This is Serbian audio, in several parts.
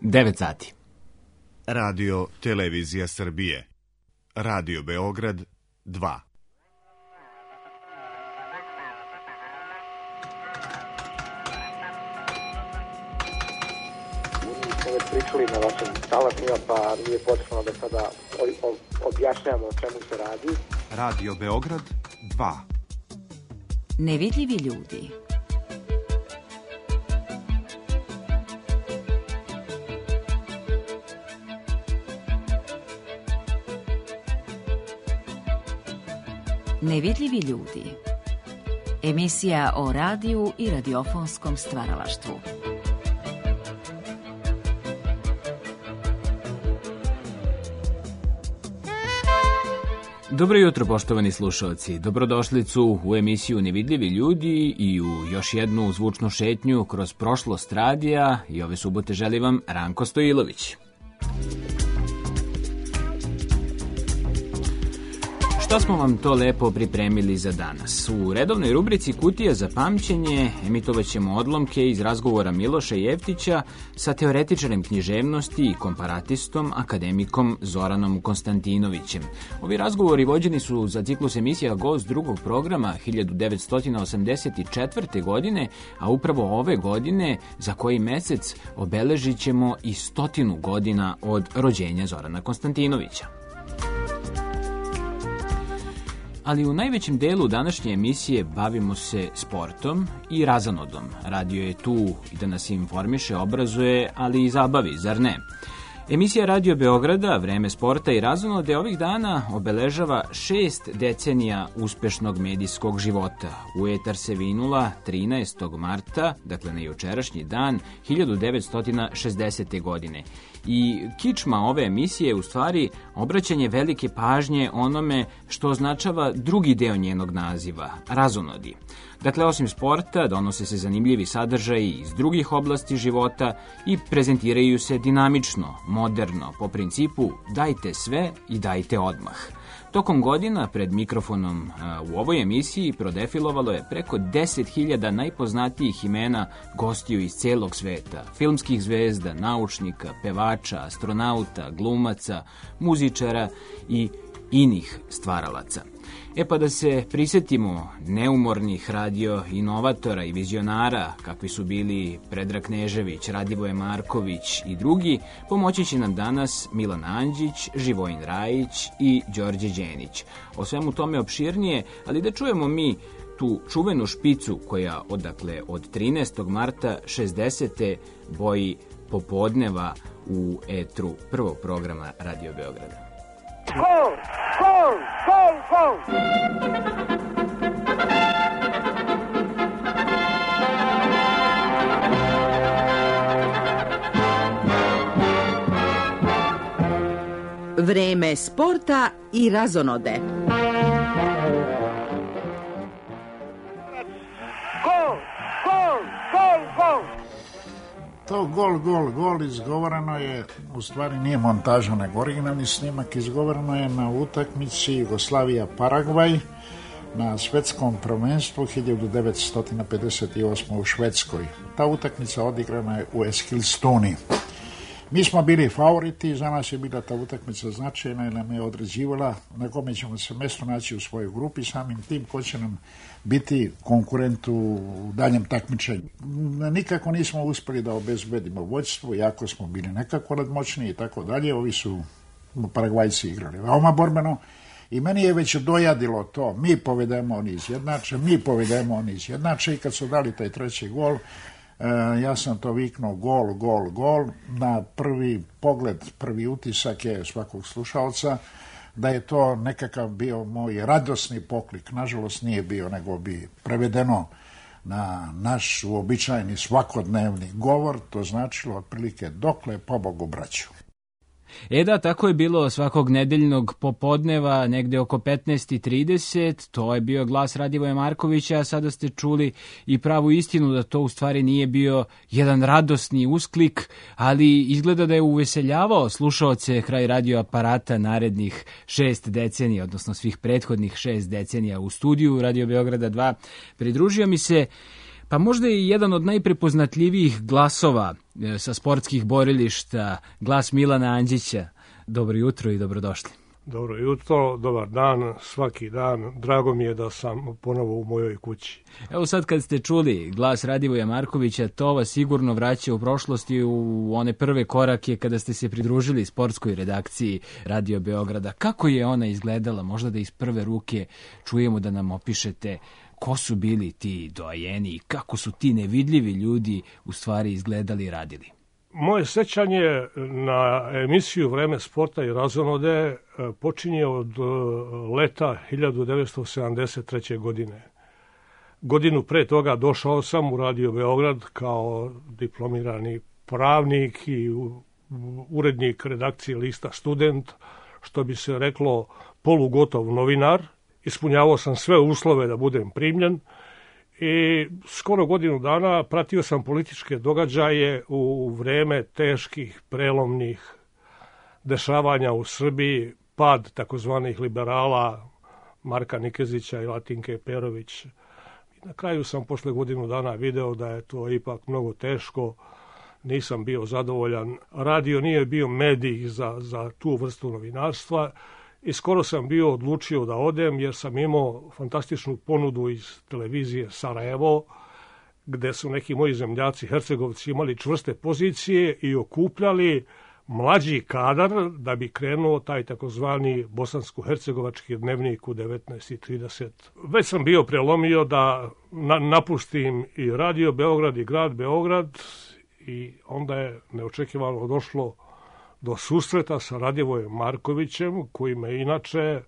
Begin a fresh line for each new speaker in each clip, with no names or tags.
9 sati.
Radio Televizija Srbije. Radio Beograd 2.
Već pričali na vašim talasima, pa nije potrebno da sada objašnjamo o čemu se radi.
Radio Beograd 2.
Nevidljivi ljudi. Nevidljivi ljudi. Emisija o radiju i radiofonskom stvaralaštvu.
Dobro jutro, poštovani slušalci. Dobrodošlicu u emisiju Nevidljivi ljudi i u još jednu zvučnu šetnju kroz prošlost radija i ove subote želi vam Ranko Stojilović. Što smo vam to lepo pripremili za danas? U redovnoj rubrici Kutija za pamćenje emitovat ćemo odlomke iz razgovora Miloša Jeftića sa teoretičarem književnosti i komparatistom akademikom Zoranom Konstantinovićem. Ovi razgovori vođeni su za ciklus emisija Gost drugog programa 1984. godine, a upravo ove godine, za koji mesec, obeležit ćemo i 100 godina od rođenja Zorana Konstantinovića. Ali u najvećem delu današnje emisije bavimo se sportom i razonodom. Radio je tu i da nas informiše, obrazuje, ali i zabavi, zar ne? Emisija Radio Beograda, Vreme sporta i razonode, ovih dana obeležava 6 decenija uspešnog medijskog života. U etar se vinula 13. marta, dakle na jučerašnji dan, 1960. godine. I kičma ove emisije je u stvari obraćanje velike pažnje onome što označava drugi deo njenog naziva, razonodi. Dakle, osim sporta, donose se zanimljivi sadržaji iz drugih oblasti života i prezentiraju se dinamično, moderno, po principu dajte sve i dajte odmah. Tokom godina pred mikrofonom u ovoj emisiji prodefilovalo je preko 10.000 najpoznatijih imena gostiju iz celog sveta, filmskih zvezda, naučnika, pevača, astronauta, glumaca, muzičara i inih stvaralaca. Pa da se prisetimo neumornih radio inovatora i vizionara, kakvi su bili Predrag Knežević, Radivoje Marković i drugi, pomoći će nam danas Milan Andžić, Živojin Rajić i Đorđe Đenić. O svemu tome opširnije, ali da čujemo mi tu čuvenu špicu koja od 13. marta 60. boji popodneva u etru prvog programa Radio Beograda.
Gol! Gol! Gol! Gol!
Vreme sporta i razonode.
Gol! Gol! Gol! Gol!
To gol izgovoreno je, u stvari nije montaža, nego originalni snimak, izgovoreno je na utakmici Jugoslavija-Paragvaj na svetskom prvenstvu 1958. u Švedskoj. Ta utakmica odigrana je u Eskilstuni. Mi smo bili favoriti, za nas je bila ta utakmica značajna jer nam je određivala na kome ćemo se mjesto naći u svojoj grupi, samim tim ko će nam biti konkurent u daljem takmičenju. Nikako nismo uspjeli da obezbedimo vođstvo, iako smo bili nekako nadmoćni i tako dalje. Ovi su Paragvajci igrali veoma borbeno i meni je već dojadilo to. Mi povedemo, oni izjednače, i kad su dali taj treći gol, ja sam to viknuo gol. Na prvi pogled, prvi utisak je svakog slušalca da je to nekakav bio moj radosni poklik. Nažalost nije bio, nego bi prevedeno na naš uobičajeni svakodnevni govor, to značilo otprilike dokle pobogu braću.
Da, tako je bilo svakog nedeljnog popodneva, negde oko 15:30, to je bio glas Radivoja Markovića, a sada ste čuli i pravu istinu da to u stvari nije bio jedan radosni usklik, ali izgleda da je uveseljavao slušaoce kraj radio aparata narednih 6 decenija, odnosno svih prethodnih 6 decenija u studiju Radio Beograda 2. Pridružio mi se Pa možda i jedan od najprepoznatljivijih glasova sa sportskih borilišta, glas Milana Andžića. Dobro jutro i dobrodošli.
Dobro jutro, dobar dan, svaki dan. Drago mi je da sam ponovo u mojoj kući.
Evo sad kad ste čuli glas Radivoja Markovića, to vas sigurno vraća u prošlosti u one prve korake kada ste se pridružili sportskoj redakciji Radio Beograda. Kako je ona izgledala? Možda da iz prve ruke čujemo, da nam opišete ko su bili ti doajeni i kako su ti nevidljivi ljudi u stvari izgledali i radili.
Moje sećanje na emisiju Vreme sporta i razonode počinje od leta 1973. godine. Godinu pre toga došao sam u Radio Beograd kao diplomirani pravnik i urednik redakcije lista Student, što bi se reklo polugotov novinar. Ispunjavao sam sve uslove da budem primljen i skoro godinu dana pratio sam političke događaje u vreme teških, prelomnih dešavanja u Srbiji, pad takozvanih liberala Marka Nikezića i Latinke Perović. I na kraju sam posle godinu dana video da je to ipak mnogo teško, nisam bio zadovoljan. Radio nije bio medij za tu vrstu novinarstva i skoro sam bio odlučio da odem jer sam imao fantastičnu ponudu iz televizije Sarajevo, gde su neki moji zemljaci Hercegovci imali čvrste pozicije i okupljali mlađi kadar da bi krenuo taj takozvani bosansko-hercegovački dnevnik u 19:30. Već sam bio prelomio da napustim i Radio Beograd i grad Beograd i onda je neočekivano došlo do susreta sa Radivojem Markovićem, koji me inače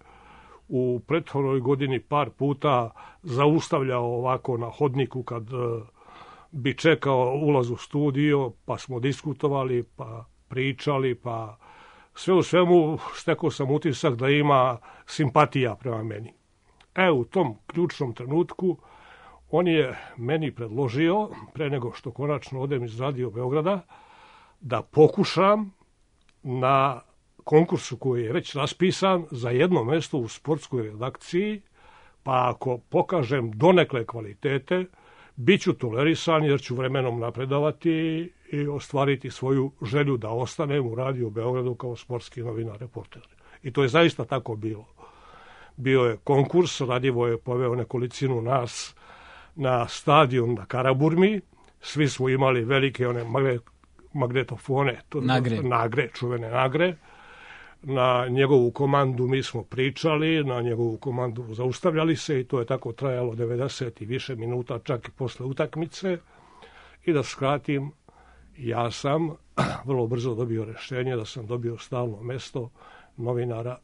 u prethodnoj godini par puta zaustavljao ovako na hodniku kad bi čekao ulaz u studio, pa smo diskutovali, pa pričali, pa sve u svemu stekao sam utisak da ima simpatija prema meni. U tom ključnom trenutku on je meni predložio, pre nego što konačno odem iz Radio Beograda, da pokušam na konkursu koji je već raspisan za jedno mesto u sportskoj redakciji, pa ako pokažem donekle kvalitete, bit ću tolerisan jer ću vremenom napredovati i ostvariti svoju želju da ostanem u Radio Beogradu kao sportski novinar, reporter. I to je zaista tako bilo. Bio je konkurs, Radivo je poveo nekolicinu nas na stadion na Karaburmi, svi smo imali velike one magnetofone, čuvene nagre. Na njegovu komandu mi smo pričali, na njegovu komandu zaustavljali se i to je tako trajalo 90 i više minuta, čak i posle utakmice. I da skratim, ja sam vrlo brzo dobio rešenje da sam dobio stalno mesto novinara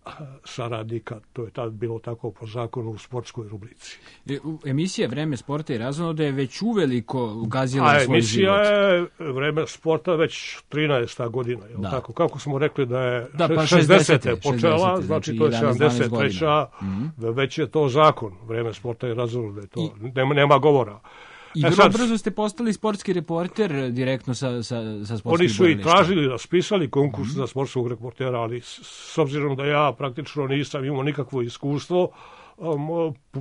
saradnika. To je tad bilo tako po zakonu u sportskoj rubrici.
Emisija Vreme sporta i razonode je već uveliko gazila svoj život.
Emisija je Vreme sporta već 13. godina. Je tako? Kako smo rekli da je 60. počela, znači to je 73. Već je to zakon Vreme sporta i razonode. To nema govora.
I vrlo brzo ste postali sportski reporter direktno sa sportskim borilištem.
Oni su i tražili, raspisali konkurs za sportskog reportera, ali s obzirom da ja praktično nisam imao nikakvo iskustvo,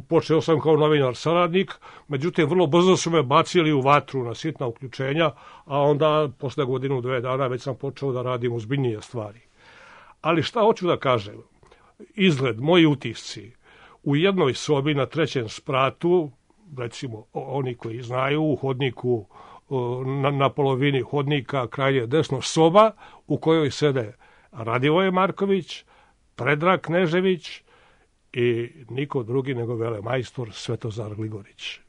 počeo sam kao novinar saradnik, međutim vrlo brzo su me bacili u vatru na sitna uključenja, a onda posle godinu, 2 dana već sam počeo da radim ozbiljnije stvari. Ali šta hoću da kažem? Izgled, moji utisci, u jednoj sobi na 3. spratu, recimo oni koji znaju, u hodniku, na polovini hodnika, krajnje desno, soba u kojoj sede Radivoje Marković, Predrag Knežević i niko drugi nego velemajstor Svetozar Gligorić.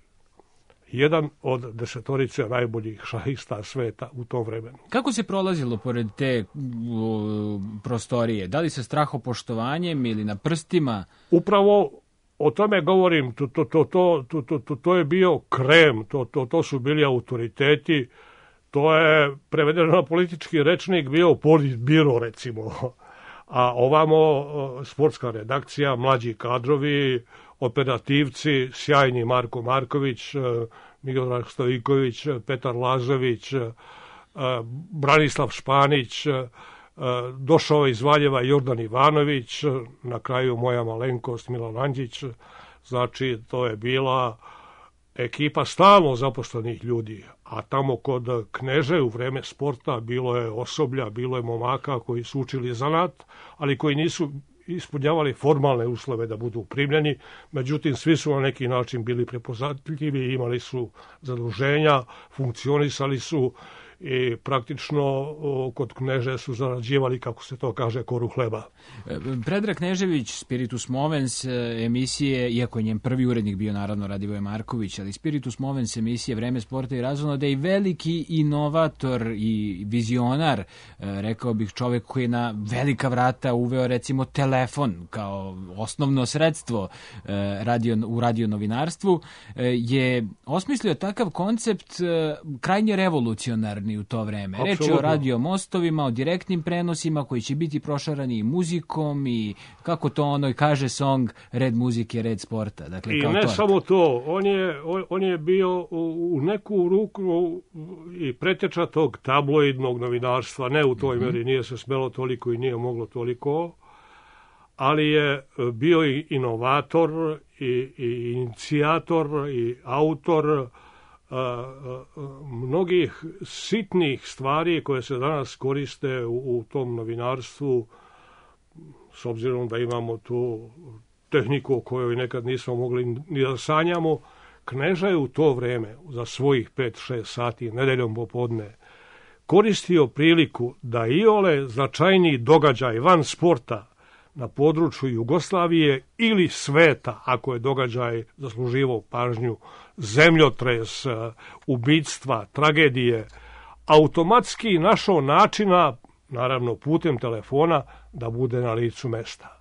Jedan od 10 najboljih šahista sveta u tom vremenu.
Kako se prolazilo pored te prostorije? Da li sa strahopoštovanjem ili na prstima?
Upravo o tome govorim, to je bio krem, to su bili autoriteti, to je prevedeno na politički rečnik bio politbiro, recimo. A ovamo sportska redakcija, mlađi kadrovi, operativci, sjajni Marko Marković, Milorad Stojiković, Petar Lazović, Branislav Španić, došao iz Valjeva Jordan Ivanović, na kraju moja malenkost Milan Andžić. Znači, to je bila ekipa stalno zaposlenih ljudi, a tamo kod Kneže u vreme sporta bilo je osoblja, bilo je momaka koji su učili zanat, ali koji nisu ispunjavali formalne uslove da budu primljeni, međutim svi su na neki način bili prepoznatljivi, imali su zaduženja, funkcionisali su i praktično kod Kneže su zarađivali, kako se to kaže, koru hleba.
Predrag Knežević, Spiritus Movens emisije, iako je njen prvi urednik bio naravno Radivoje Marković, ali Spiritus Movens emisije Vreme sporta i razonode i veliki inovator i vizionar, rekao bih čovek koji je na velika vrata uveo recimo telefon kao osnovno sredstvo u radionovinarstvu, je osmislio takav koncept krajnje revolucionarni u to vreme. Reč je o radio mostovima, o direktnim prenosima koji će biti prošarani i muzikom i kako to ono i kaže song, red muzike, red sporta. Dakle,
i
kao
ne
torta.
Samo to, on je bio u neku ruku i preteča tog tabloidnog novinarstva, ne u toj meri, nije se smelo toliko i nije moglo toliko, ali je bio i inovator i inicijator i autor mnogih sitnih stvari koje se danas koriste u tom novinarstvu, s obzirom da imamo tu tehniku o kojoj nekad nismo mogli ni da sanjamo. Kneža je u to vreme, za svojih 5-6 sati nedeljom popodne, koristio priliku da iole značajniji događaj van sporta na području Jugoslavije ili sveta, ako je događaj zasluživao pažnju, zemljotres, ubistva, tragedije, automatski našao načina, naravno putem telefona, da bude na licu mesta.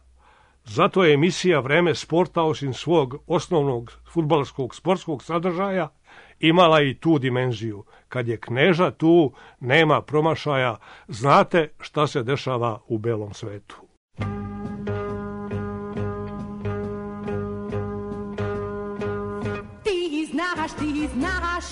Zato je emisija Vreme sporta, osim svog osnovnog fudbalskog sportskog sadržaja, imala i tu dimenziju. Kad je Kneža tu, nema promašaja, znate šta se dešava u belom svetu.
Ti znaš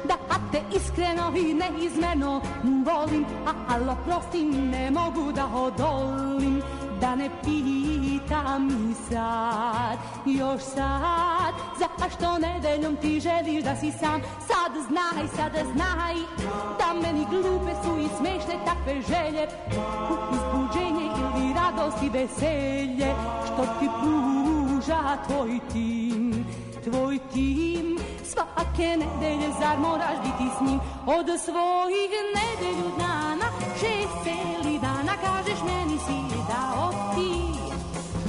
da te iskreno i neizmjerno volim, ali prostim ne mogu da odolim, da ne pitam i sad, još sad, zašto nedeljom ti želiš da si sam. Sad znaj, da meni glupe su i smešne takve želje, uzbuđenje ili radost i veselje, što ti pruža tvoj tim. Tvoj tim, svake nedelje, zar moraš biti s njim? Od svojih nedelju dana, 6 celi dana, kažeš meni si dao ti.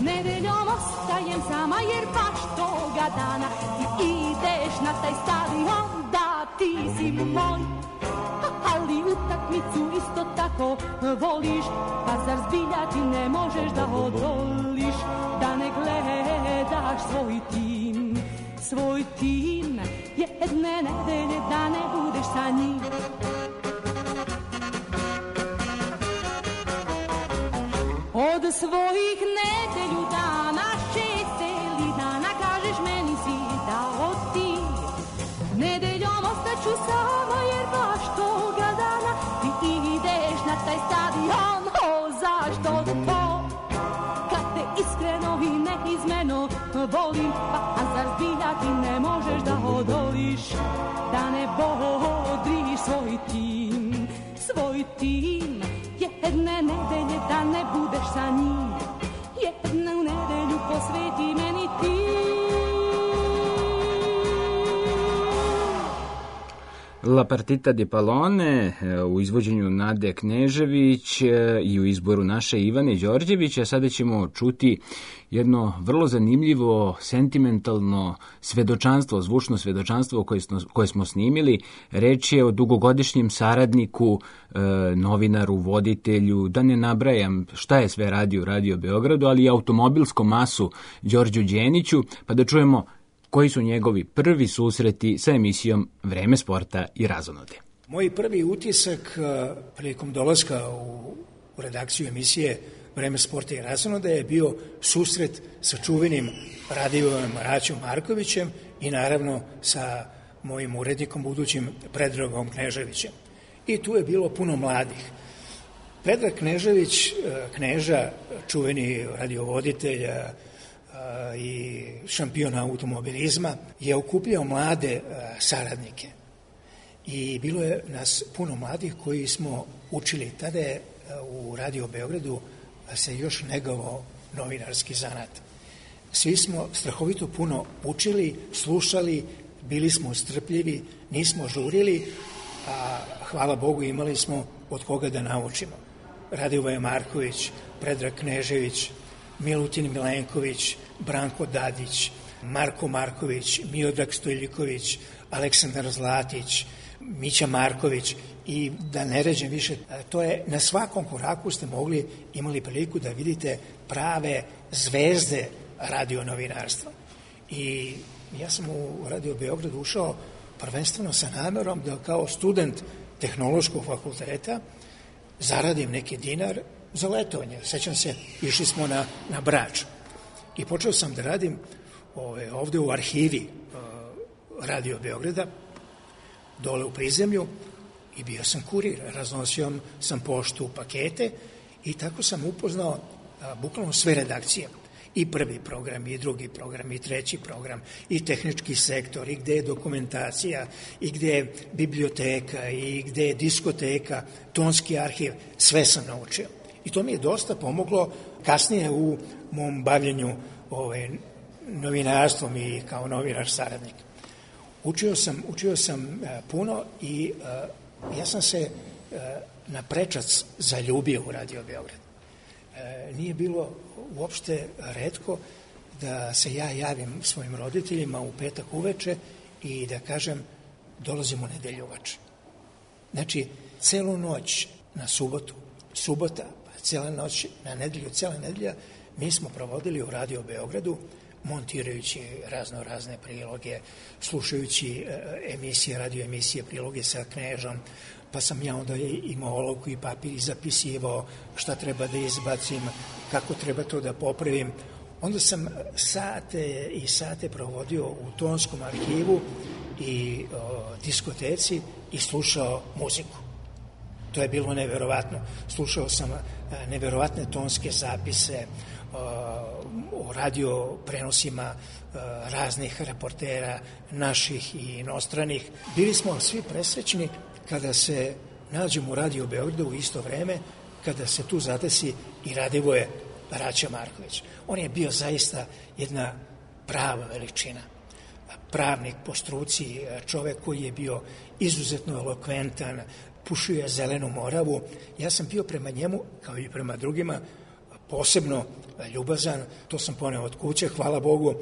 Nedeljom ostajem sama jer baš toga dana ti ideš na taj stadion, da ti si moj. Ali utakmicu isto tako voliš, pa zar zbilja ti ne možeš da odoliš, da ne gledaš svoj tim. Svoj tim, jedne nedelje da ne budeš sa njim. Od svojih nedelju dana, 6 celi dana, kažeš meni si dao ti. Nedeljom ostaću sama jer baš toga dana ti ideš na taj stadion. O, zašto to? Kad te iskreno i neizmjerno volim, pa zar zbilja ti ne možeš da odoliš, da ne bodriš svoj tim. Svoj tim, jedne nedelje da ne budeš sa njim, jednu nedelju posveti meni ti.
La partita di Palone u izvođenju Nade Knežević i u izboru naše Ivane Đorđevića. Sada ćemo čuti jedno vrlo zanimljivo, sentimentalno svedočanstvo, zvučno svedočanstvo koje smo snimili. Reč je o dugogodišnjem saradniku, novinaru, voditelju, da ne nabrajam šta je sve radio u Radio Beogradu, ali i automobilskom masu Đorđu Đeniću, pa da čujemo koji su njegovi prvi susreti sa emisijom Vreme sporta i razonode.
Moj prvi utisak prilikom dolaska u redakciju emisije Vreme sporta i razonode je bio susret sa čuvenim Radivojom Raćom Markovićem i naravno sa mojim urednikom budućim Predragom Kneževićem. I tu je bilo puno mladih. Predrag Knežević, Kneža, čuveni radiovoditelj, i šampiona automobilizma, je okupljao mlade saradnike. I bilo je nas puno mladih koji smo učili. Tada je u Radio Beogradu se još negovao novinarski zanat. Svi smo strahovito puno učili, slušali, bili smo strpljivi, nismo žurili, a hvala Bogu imali smo od koga da naučimo. Radivoje Marković, Predrag Knežević, Milutin Milenković, Branko Dadić, Marko Marković, Miodrag Stojljiković, Aleksandar Zlatić, Mića Marković i da ne ređem više. To je na svakom koraku ste imali priliku da vidite prave zvezde radionovinarstva. I ja sam u Radio Beograd ušao prvenstveno sa namerom da kao student tehnološkog fakulteta zaradim neki dinar za letovanje. Sećam se, išli smo na Brač i počeo sam da radim ovde u arhivi Radio Beograda, dole u prizemlju, i bio sam kurir, raznosio sam poštu, pakete, i tako sam upoznao bukvalno sve redakcije. I prvi program, i drugi program, i treći program, i tehnički sektor, i gde je dokumentacija, i gde je biblioteka, i gde je diskoteka, tonski arhiv, sve sam naučio. I to mi je dosta pomoglo kasnije u mom bavljenju novinarstvom i kao novinar saradnik. Učio sam puno i ja sam se na prečac zaljubio u Radio Beograd. Nije bilo uopšte retko da se ja javim svojim roditeljima u petak uveče i da kažem dolazimo u nedelju uveče. Znači, celu noć na subotu, subota, pa cijela noć na nedelju, cijela nedelja, mi smo provodili u Radio Beogradu, montirajući razne priloge, slušajući emisije, radio emisije, priloge sa Knežom, pa sam ja onda imao olovku i papir i zapisivao šta treba da izbacim, kako treba to da popravim. Onda sam sate i sate provodio u tonskom arhivu i diskoteci i slušao muziku. To je bilo neverovatno. Slušao sam neverovatne tonske zapise o radio prenosima raznih reportera, naših i inostranih. Bili smo svi presrećni kada se nađemo u Radio Beogradu u isto vreme, kada se tu zadesi i Radivoje Raća Marković. On je bio zaista jedna prava veličina. Pravnik po struci, čovek koji je bio izuzetno elokventan, pušio je zelenu moravu. Ja sam bio prema njemu, kao i prema drugima, posebno ljubazan. To sam poneo od kuće, hvala Bogu.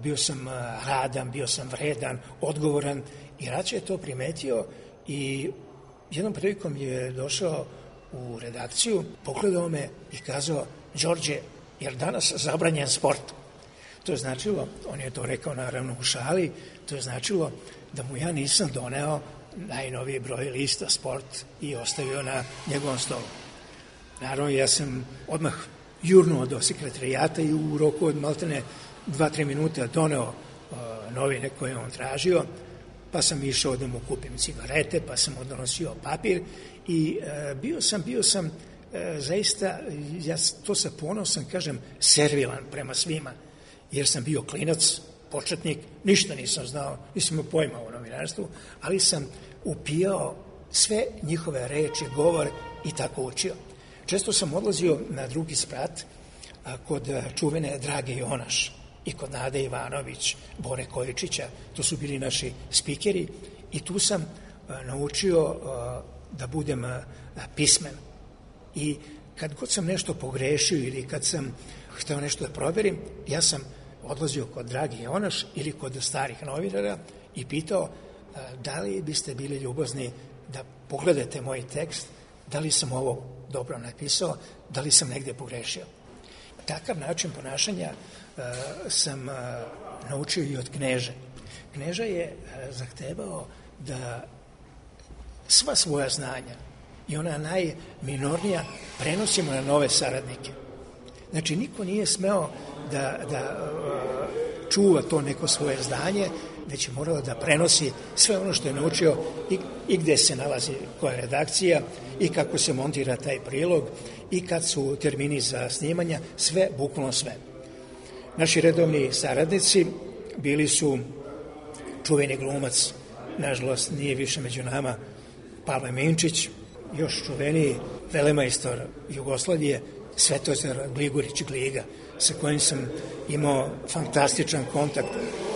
Bio sam radan, bio sam vredan, odgovoran i Raća je to primetio i jednom prilikom je došao u redakciju, pogledao me i kazao: Đorđe, jer danas zabranjen sport? To je značilo, on je to rekao naravno u šali, to je značilo da mu ja nisam doneo najnoviji broj lista Sport i ostavio na njegovom stolu. Naravno, ja sam odmah jurnuo do sekretarijata i u roku od maltene 2-3 minuta doneo novine koje on tražio, pa sam išao da mu kupim cigarete, pa sam odnosio papir i bio sam zaista, ja to sa ponosom kažem, servilan prema svima, jer sam bio klinac, početnik, ništa nisam znao, nisam imao pojma o novinarstvu, ali sam upijao sve njihove reči, govor i tako učio. Često sam odlazio na drugi sprat kod čuvene Drage Jonaš i kod Nade Ivanović, Bore Kojičića, to su bili naši spikeri i tu sam naučio da budem pismen. I kad god sam nešto pogrešio ili kad sam hteo nešto da proverim, ja sam odlazio kod Drage Jonaš ili kod starih novinara i pitao da li biste bili ljubazni da pogledate moj tekst, da li sam ovo dobro napisao, da li sam negde pogrešio. Takav način ponašanja sam naučio i od Kneže. Kneža je zahtevao da sva svoja znanja i ona najminornija prenosimo na nove saradnike. Znači, niko nije smeo da čuva to neko svoje znanje, već je morao da prenosi sve ono što je naučio i gde se nalazi koja redakcija i kako se montira taj prilog i kad su termini za snimanja, sve, bukvalno sve. Naši redovni saradnici bili su čuveni glumac, nažalost nije više među nama, Pavle Minčić, još čuveniji velemajstor Jugoslavije, Svetozar Gligorić Gliga, sa kojim sam imao fantastičan kontakt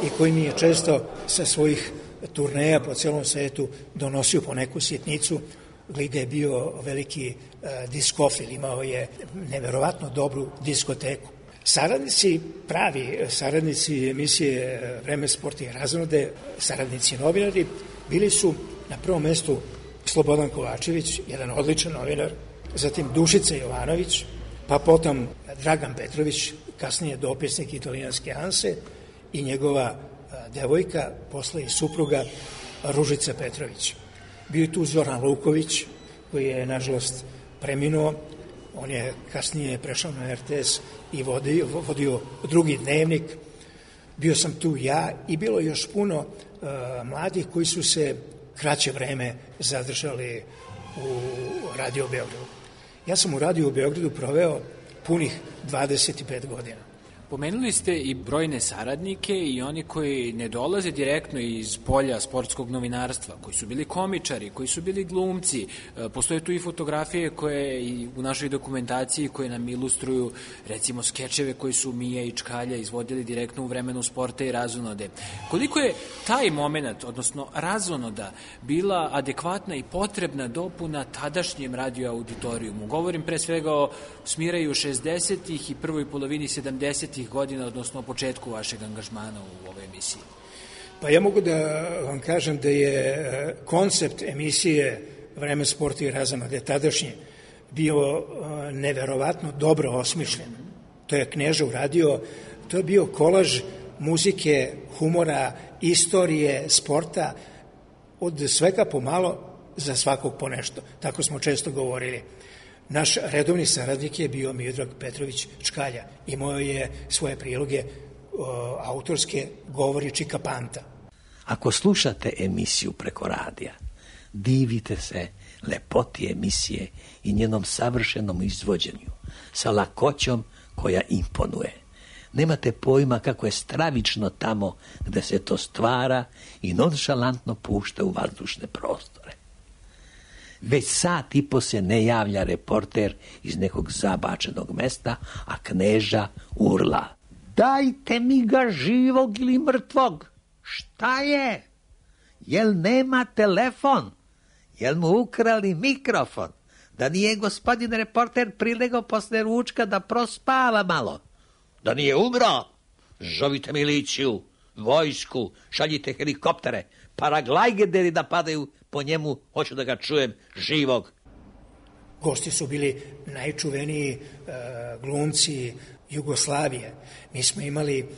i koji mi je često sa svojih turneja po celom svetu donosio po neku sitnicu. Gliga je bio veliki diskofil, imao je neverovatno dobru diskoteku. Saradnici, pravi saradnici emisije Vreme, sport i razonode, saradnici novinari, bili su na prvom mestu Slobodan Kovačević, jedan odličan novinar, zatim Dušica Jovanović, pa potom Dragan Petrović, kasnije dopisnik italijanske Anse, i njegova devojka, posle i supruga Ružica Petrović. Bio je tu Zoran Luković, koji je, nažalost, preminuo. On je kasnije prešao na RTS i vodio drugi dnevnik. Bio sam tu ja i bilo još puno mladih koji su se kraće vreme zadržali u Radio Beogradu. Ja sam u Radio Beogradu proveo punih 25 godina.
Pomenuli ste i brojne saradnike i oni koji ne dolaze direktno iz polja sportskog novinarstva, koji su bili komičari, koji su bili glumci. Postoje tu i fotografije koje i u našoj dokumentaciji koje nam ilustruju, recimo, skečeve koji su Mija i Čkalja izvodili direktno u vremenu sporta i razonode. Koliko je taj moment, odnosno razonoda, bila adekvatna i potrebna dopuna tadašnjem radio auditorijumu? Govorim pre svega o smiraju 60-ih i prvoj polovini 70-ih godina, odnosno o početku vašeg angažmana u ovoj emisiji.
Pa ja mogu da vam kažem da je koncept emisije Vreme, sport i razonode tadašnje bio neverovatno dobro osmišljen. To je Kneža uradio, to je bio kolaž muzike, humora, istorije, sporta, od svega pomalo, za svakog po nešto. Tako smo često govorili. Naš redovni saradnik je bio Miodrag Petrović Čkalja. Imao je svoje priloge autorske, govori Čika Panta.
Ako slušate emisiju preko radija, divite se lepoti emisije i njenom savršenom izvođenju, sa lakoćom koja imponuje. Nemate pojma kako je stravično tamo gde se to stvara i nonšalantno pušta u vazdušne prostore. Već sat i po se ne javlja reporter iz nekog zabačenog mesta, a Kneža urla: dajte mi ga živog ili mrtvog. Šta je? Jel nema telefon? Jel mu ukrali mikrofon? Da nije gospodin reporter prilegao posle ručka da prospava malo? Da nije umro? Zovite miliciju, vojsku, šaljite helikoptere, paraglajgederi da padaju po njemu, hoću da ga čujem živog.
Gosti su bili najčuveniji glumci Jugoslavije. Mi smo imali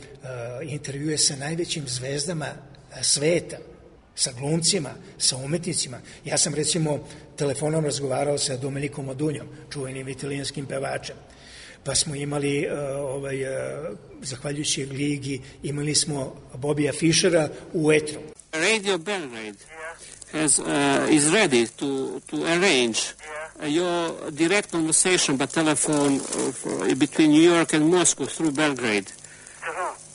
intervjue sa najvećim zvezdama sveta, sa glumcima, sa umetnicima. Ja sam, recimo, telefonom razgovarao sa Domenikom Modunjom, čuvenim italijanskim pevačem. Pa smo imali, zahvaljujući Gligi, imali smo Bobija Fišera u etru.
Radio Belgrade is ready to arrange your direct conversation by telephone between New York and Moscow through Belgrade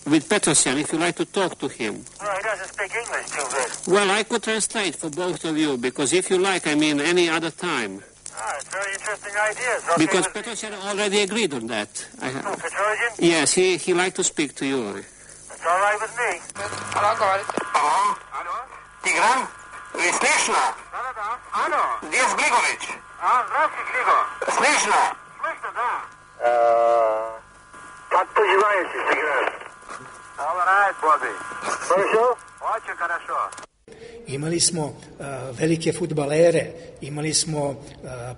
with Petrosyan, if you like to talk to him.
Well, he doesn't speak English too good.
Well, I could translate for both of you, because if you like, I mean any other time.
It's a very interesting idea. Okay,
because Petrosyan already agreed on that.
Petrosyan?
Yes, he liked to speak to you.
That's all right with me.
Alo, govorite.
Alo?
Tigran? Slišno?
Da. Alo?
Gdje je Zbligović?
Здравствуй, Глиго.
Slišno?
Слышно, да. Как поживаете, Тигран? All right, Bobby. Хорошо? Очень хорошо.
Imali smo velike fudbalere, imali smo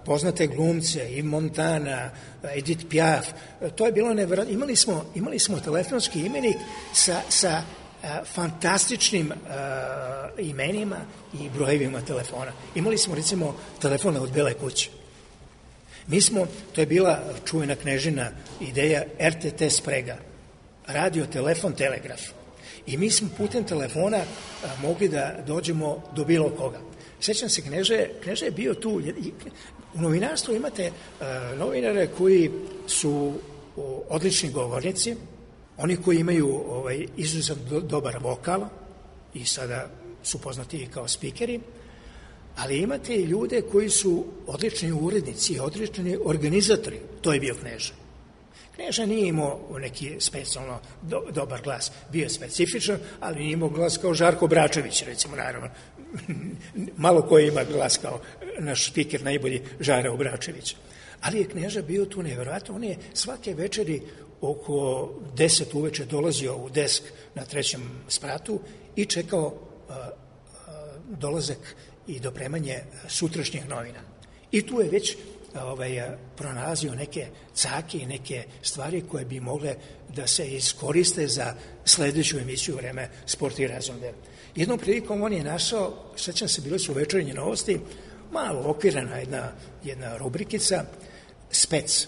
poznate glumce, i Montana, Edith Piaf. To je bilo nevjerojatno. Imali smo telefonski imenik sa fantastičnim imenima i brojevima telefona. Imali smo, recimo, telefone od Bele kuće. To je bila čuvena Knežina ideja RTT sprega, radio, telefon, telegraf. I mi smo putem telefona mogli da dođemo do bilo koga. Sećam se, Kneža je bio tu. U novinarstvu imate novinare koji su odlični govornici, Oni koji imaju izuzetno dobar vokal i sada su poznati i kao spikeri, ali imate i ljude koji su odlični urednici, odlični organizatori. To je bio Kneža. Kneža nije imao neki specijalno dobar glas. Bio je specifičan, ali nije imao glas kao Žarko Bračević, recimo, naravno. Malo ko ima glas kao naš spiker, najbolji Žara Obračević. Ali je Kneža bio tu nevjerojatno. On je svake večeri oko 10 uveče dolazio u desk na 3. spratu i čekao dolazak i dopremanje sutrašnjih novina. I tu je već pronalazio neke cake i neke stvari koje bi mogle da se iskoriste za sledeću emisiju Vreme sporta i razonode. Jednom prilikom on je našao, sećam se, bile su večernje novosti, malo okvirana jedna rubrikica, Spec.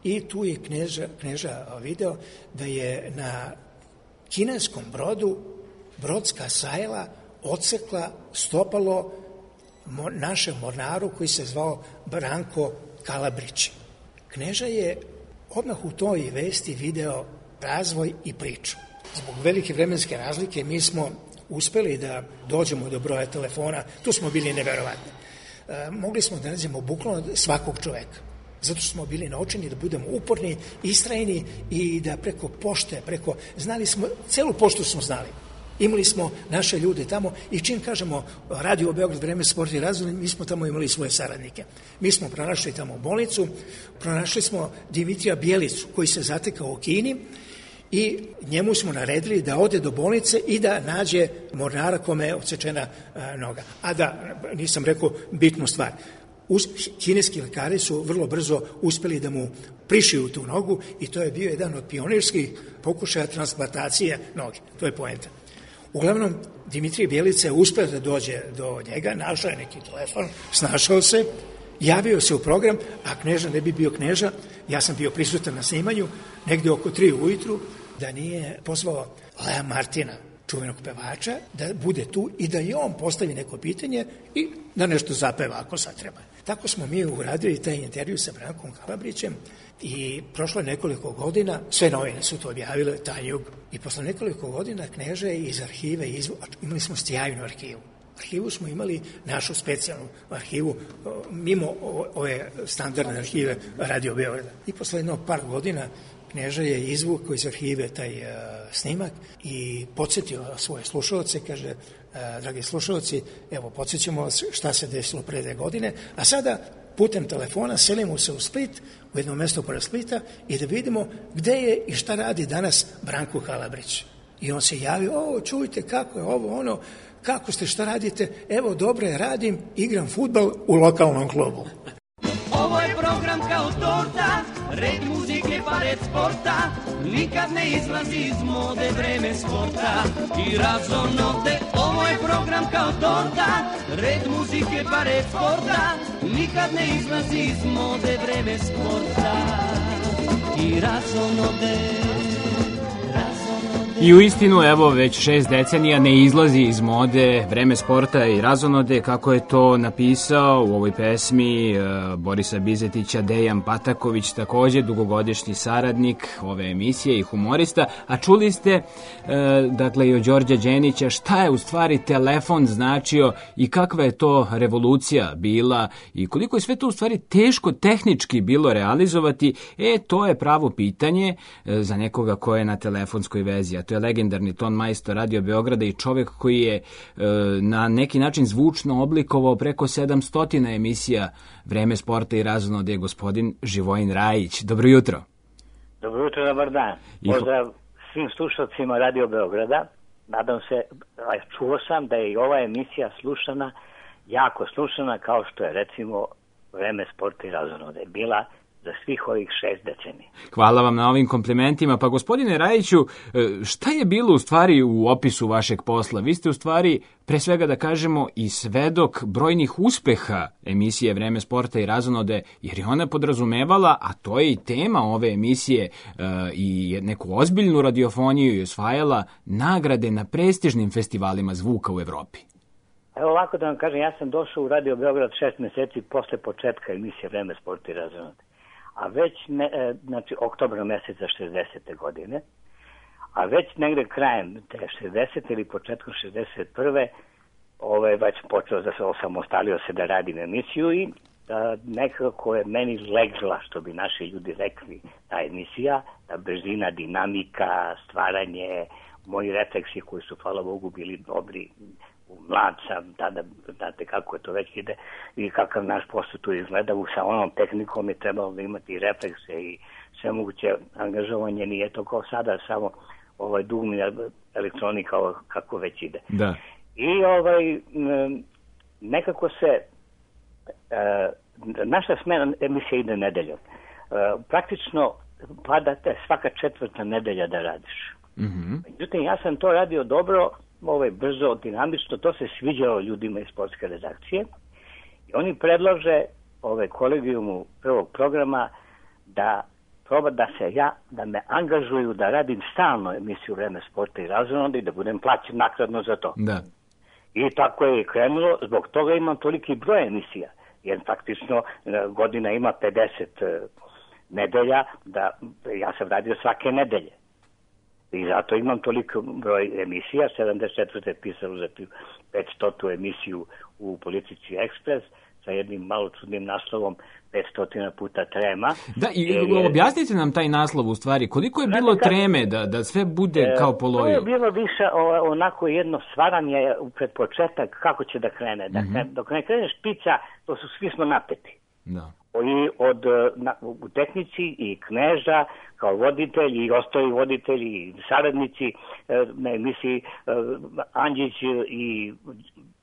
I tu je Kneža video da je na kineskom brodu brodska sajla odsekla stopalo našem mornaru koji se zvao Branko Kalabrić. Kneža je odmah u toj vesti video razvoj i priču. Zbog velike vremenske razlike mi smo uspeli da dođemo do broja telefona, tu smo bili neverovatni. Mogli smo da nađemo bukvalno svakog čoveka, zato što smo bili naučeni da budemo uporni, istrajni i da preko pošte, znali smo, celu poštu smo znali. Imali smo naše ljude tamo i čim kažemo Radio Beograd, Vreme sporta i razonode, mi smo tamo imali svoje saradnike. Mi smo pronašli tamo bolnicu, pronašli smo Dimitrija Bjelicu koji se zatekao u Kini i njemu smo naredili da ode do bolnice i da nađe mornara kome je odsečena noga. A da, nisam rekao bitnu stvar. Kineski lekari su vrlo brzo uspeli da mu prišiju tu nogu i to je bio jedan od pionirskih pokušaja transplantacije noge. To je poenta. Uglavnom, Dimitrij Bjelica je uspeo da dođe do njega, našao je neki telefon, snašao se, javio se u program, a Kneža ne bi bio Kneža, ja sam bio prisutan na snimanju, negde oko 3 ujutru, da nije pozvao Lea Martina, čuvenog pevača, da bude tu i da i on postavi neko pitanje i da nešto zapeva ako sad treba. Tako smo mi uradili taj intervju sa Brankom Kalabrićem i prošlo nekoliko godina, sve novine su to objavile, Tanjug, i posle nekoliko godina Kneža je iz arhive imali smo sjajnu arhivu. Arhivu smo imali našu specijalnu arhivu, mimo ove standardne arhive Radio Beograda. I posle jedno par godina Kneža je izvukao iz arhive taj snimak i podsjetio svoje slušalce, kaže, dragi slušalci, evo, podsjećamo vas šta se desilo pre 2 godine, a sada putem telefona selimo se u Split, u jedno mesto pored Splita i da vidimo gde je i šta radi danas Branko Kalabrić. I on se javio, čujte kako je ovo, ono, kako ste, šta radite? Evo, dobro je, radim, igram fudbal u lokalnom klubu.
Ovo je program kao torta, red muzike pa red sporta, nikad ne izlazi iz mode Vreme sporta i razonode. Ovo je program kao torta, red muzike pa red sporta, nikad ne izlazi iz mode Vreme sporta i razonode.
I u istinu, evo, već 6 decenija ne izlazi iz mode Vreme sporta i razonode, kako je to napisao u ovoj pesmi Borisa Bizetića Dejan Pataković, takođe dugogodišnji saradnik ove emisije i humorista. A čuli ste, dakle, i od Đorđa Đenića, šta je u stvari telefon značio i kakva je to revolucija bila i koliko je sve to u stvari teško tehnički bilo realizovati. To je pravo pitanje za nekoga ko je na telefonskoj vezi, a to je legendarni ton majstor Radio Beograda i čovek koji je na neki način zvučno oblikovao preko 700 emisija Vreme sporta i razonode, gospodin Živojin Rajić. Dobro jutro.
Dobro jutro, dobar dan. Pozdrav svim slušalcima Radio Beograda. Nadam se, čuo sam da je i ova emisija slušana, jako slušana, kao što je recimo Vreme sporta i razonode bila za svih ovih 6 decenija.
Hvala vam na ovim komplimentima. Pa gospodine Rajiću, šta je bilo u stvari u opisu vašeg posla? Vi ste u stvari, pre svega da kažemo, i svedok brojnih uspeha emisije Vreme sporta i razonode, jer je ona podrazumevala, a to je i tema ove emisije, i neku ozbiljnu radiofoniju i osvajala nagrade na prestižnim festivalima zvuka u Evropi.
Evo ovako da vam kažem, ja sam došao u Radio Beograd 6 meseci posle početka emisije Vreme sporta i razonode. A već, znači, oktobra meseca 60. godine, a već negde krajem te 60. ili početkom 61. Već počeo da se osamostalio se da radim emisiju i nekako je meni legla, što bi naši ljudi rekli, ta emisija, ta brzina, dinamika, stvaranje, moji refleksi koji su, hvala Bogu, bili dobri, mlad sam, tada, znate kako je to već ide i kakav naš posao tu izgleda, sa onom tehnikom je trebalo da imati reflekse i sve moguće angažovanje, nije to kao sada, samo dugmi elektronika kako već ide.
Da.
I nekako se naša smena emisija ide nedeljom. Praktično padate svaka 4. nedelja da radiš. Međutim, ja sam to radio dobro, brzo, dinamično, to se sviđalo ljudima iz sportske redakcije i oni predlože kolegijumu prvog programa da proba da me angažuju da radim stalno emisiju Vreme sporta i razonoda i da budem plaćen naknadno za to.
Da.
I tako je krenulo, zbog toga imam toliki broj emisija, jer faktično godina ima 50 nedelja, da ja sam radio svake nedelje. I zato imam toliko broj emisija, 74. pisalo za 500. emisiju u Politici Ekspres, sa jednim malo čudnim naslovom 500 puta trema.
Da, i objasnite nam taj naslov u stvari. Koliko je bilo treme da sve bude kao po loju?
To je bilo više onako jedno stvaranje pred početak kako će da krene. Dok ne krene špica, to svi smo napeti.
Da.
I u tehnici i Kneža kao voditelj i ostali voditelji i saradnici na emisiji Andžić i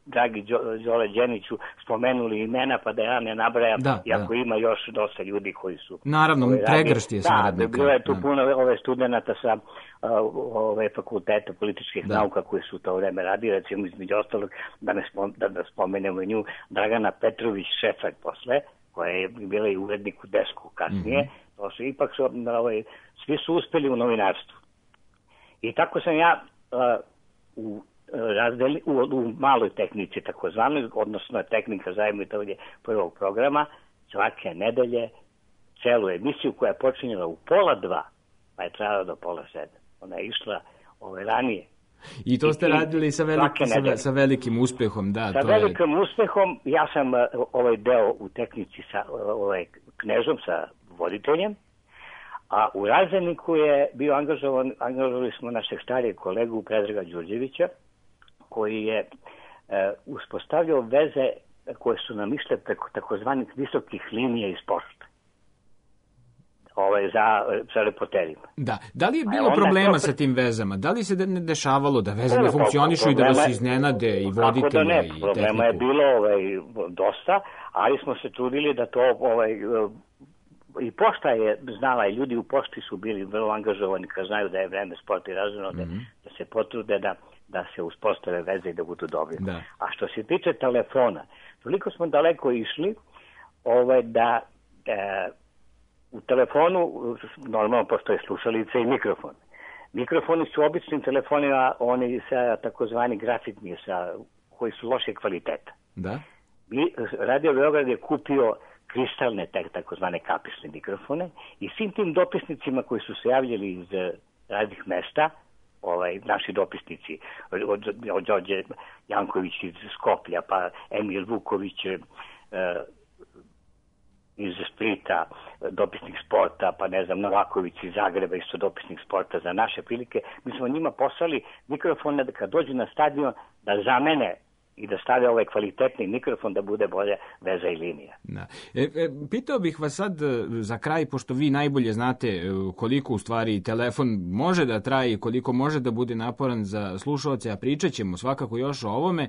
dragi Đole Đeniću spomenuli imena, pa da ja ne nabrajam, iako ima još dosta ljudi koji su...
Naravno, pregršt je saradnika.
Da, bilo je tu puno studenta sa fakulteta političkih nauka koji su u to vreme radili, recimo između ostalog, da spomenemo nju, Dragana Petrović Šefak posle, koja je bila i urednik u Desku kasnije, to su ipak svi su uspeli u novinarstvu. I tako sam ja u maloj tehnici takozvanoj, odnosno tehnika zajednitovanje prvog programa, svake nedelje celu emisiju koja je počinjela u 1:30, pa je trajala do 6:30. Ona je išla ranije.
I to ste radili sa velikim uspehom, da.
Sa velikim uspehom, ja sam ovaj deo u tehnici sa Knežom, sa voditeljem, a u Razeniku je bio angažovali smo našeg starijeg kolegu Predraga Đurđevića, koji je uspostavljao veze koje su nam išle preko takozvanih visokih linija iz sporta. Za reporterima.
Da. Da li je bilo problema sa tim vezama? Da li se ne dešavalo da veze ne funkcionišu i da vas iznenade i voditelja i tehniku?
Problema je bilo dosta, ali smo se trudili da to i pošta je znala i ljudi u pošti su bili vrlo angažovani kad znaju da je Vreme sporta i razonoda, da se potrude da se uspostave veze i da budu dobri.
Da.
A što se tiče telefona, toliko smo daleko išli da u telefonu normalno postoje slušalice i mikrofon. Mikrofoni su običnim telefonima, oni sa takozvani grafitni, koji su loše kvaliteta.
Da.
Radio Beograd je kupio kristalne takozvane kapisne mikrofone i svim tim dopisnicima koji su se javljali iz raznih mesta, naši dopisnici, od Đorđe Janković iz Skoplja, pa Emil Vuković iz Splita, dopisnik sporta, pa ne znam, Novaković iz Zagreba, isto dopisnik sporta za naše prilike. Mi smo njima poslali mikrofone da kad dođu na stadion da zamene i da stavlja ovaj kvalitetni mikrofon da bude bolje veza i linija.
Da. Pitao bih vas sad za kraj, pošto vi najbolje znate koliko u stvari telefon može da traje i koliko može da bude naporan za slušalce, a pričat ćemo svakako još o ovome.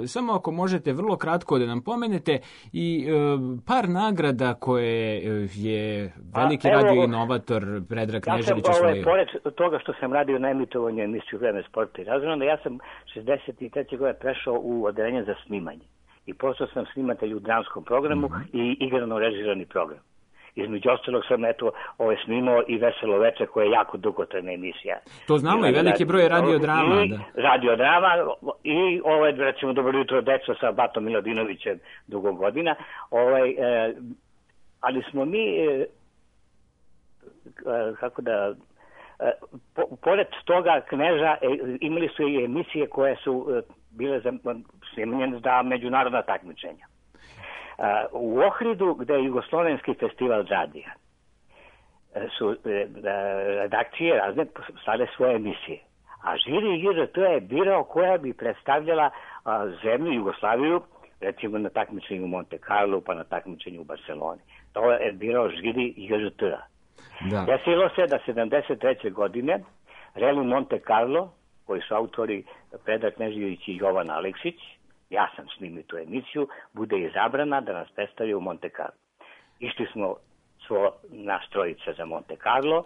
Samo ako možete vrlo kratko da nam pomenete i par nagrada koje je veliki radio inovator Predrag Knežević osvojio.
Pored toga što sam radio na emitovanju emisiju Vreme sporta i razonoda, ja sam 63. godine prešao u odeljenje za snimanje. I postao sam snimatelj u dramskom programu i igrano režirani program. Između ostalog sam snimao i Veselo veče, koja je jako dugotrajna emisija.
To znamo i veliki broj radiodrama.
Radiodrama i recimo Dobro jutro deco sa Batom Miladinovićem dugo godina. Ali smo mi pored toga Kneža imali su i emisije koje su bile snimljene za međunarodna takmičenja. U Ohridu, gde je Jugoslovenski festival radija, su redakcije razne stale svoje emisije. A žiri IRT je birao koja bi predstavljala zemlju Jugoslaviju, recimo na takmičenju u Monte Carlo, pa na takmičenju u Barceloni. To je birao žiri IRT-a. Desilo se da 73. godine Reli Monte Carlo, koji su autori Predrag Knežević i Jovan Aleksić, ja sam snimio tu emisiju, bude izabrana da nas predstavi u Monte Carlo. Išli smo naš trojica za Monte Carlo,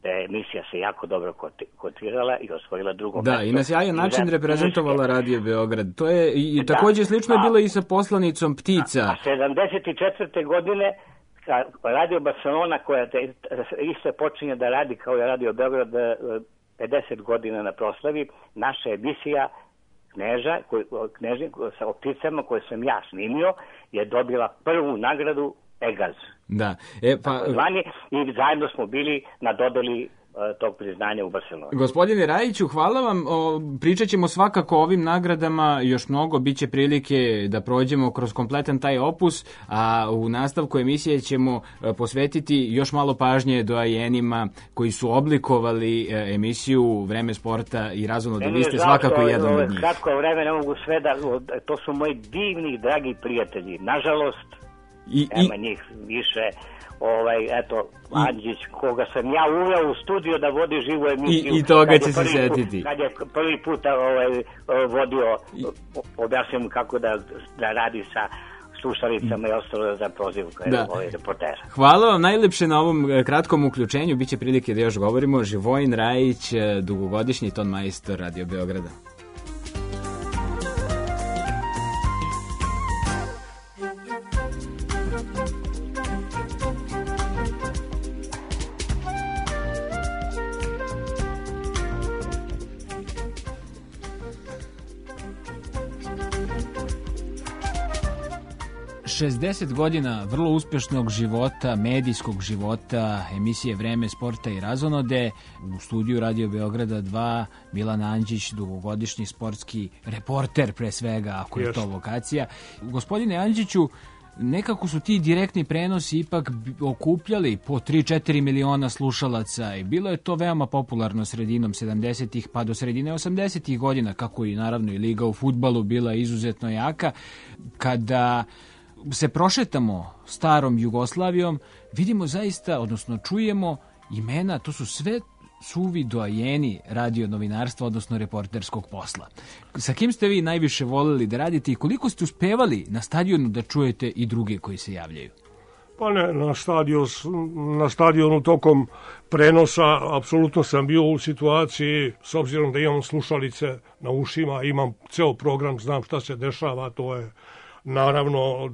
da je emisija se jako dobro kotirala i osvojila drugo mesto.
Da, i na sjajan način reprezentovala Radio Beograd. To je i također slično je bilo i sa poslanicom Ptica.
A 74. godine Radio Barcelona, koja isto počinje da radi kao je Radio Beograd 50 godina na proslavi, naša emisija Kneža sa Pticama koju sam ja snimio je dobila prvu nagradu Egaz.
Da.
I zajedno smo bili na dodeli tog priznanja u Barceloni.
Gospodine Rajiću, hvala vam. Pričat ćemo svakako o ovim nagradama još mnogo. Biće prilike da prođemo kroz kompletan taj opus, a u nastavku emisije ćemo posvetiti još malo pažnje doajenima koji su oblikovali emisiju Vreme sporta i razonode. Vi ste svakako jedan od njih.
Kratko vreme ne mogu sve da... To su moji divni, dragi prijatelji. Nažalost, nema njih više. Andžić, koga sam ja uveo u studio da vodi živu emisiju.
I toga će se setiti.
Kad je prvi put vodio, objasnim kako da radi sa slušalicama i ostalo za prozivku reportera.
Hvala vam najlepše na ovom kratkom uključenju. Biće prilike da još govorimo. Živojin Rajić, dugogodišnji ton majstor Radio Beograda. 60 godina vrlo uspešnog života, medijskog života, emisije Vreme sporta i razonode. U studiju Radio Beograda 2 Milan Andžić, dugogodišnji sportski reporter pre svega, ako je to vokacija. Gospodine Andžiću, nekako su ti direktni prenosi ipak okupljali po 3-4 miliona slušalaca i bilo je to veoma popularno sredinom 70-ih pa do sredine 80-ih godina, kako i naravno i liga u fudbalu bila izuzetno jaka. Kada se prošetamo starom Jugoslavijom, vidimo zaista, odnosno čujemo imena, to su sve suvi doajeni radio novinarstva, odnosno reporterskog posla. Sa kim ste vi najviše voljeli da radite i koliko ste uspevali na stadionu da čujete i druge koji se javljaju?
Pa ne, na stadionu tokom prenosa apsolutno sam bio u situaciji, s obzirom da imam slušalice na ušima, imam ceo program, znam šta se dešava, to je naravno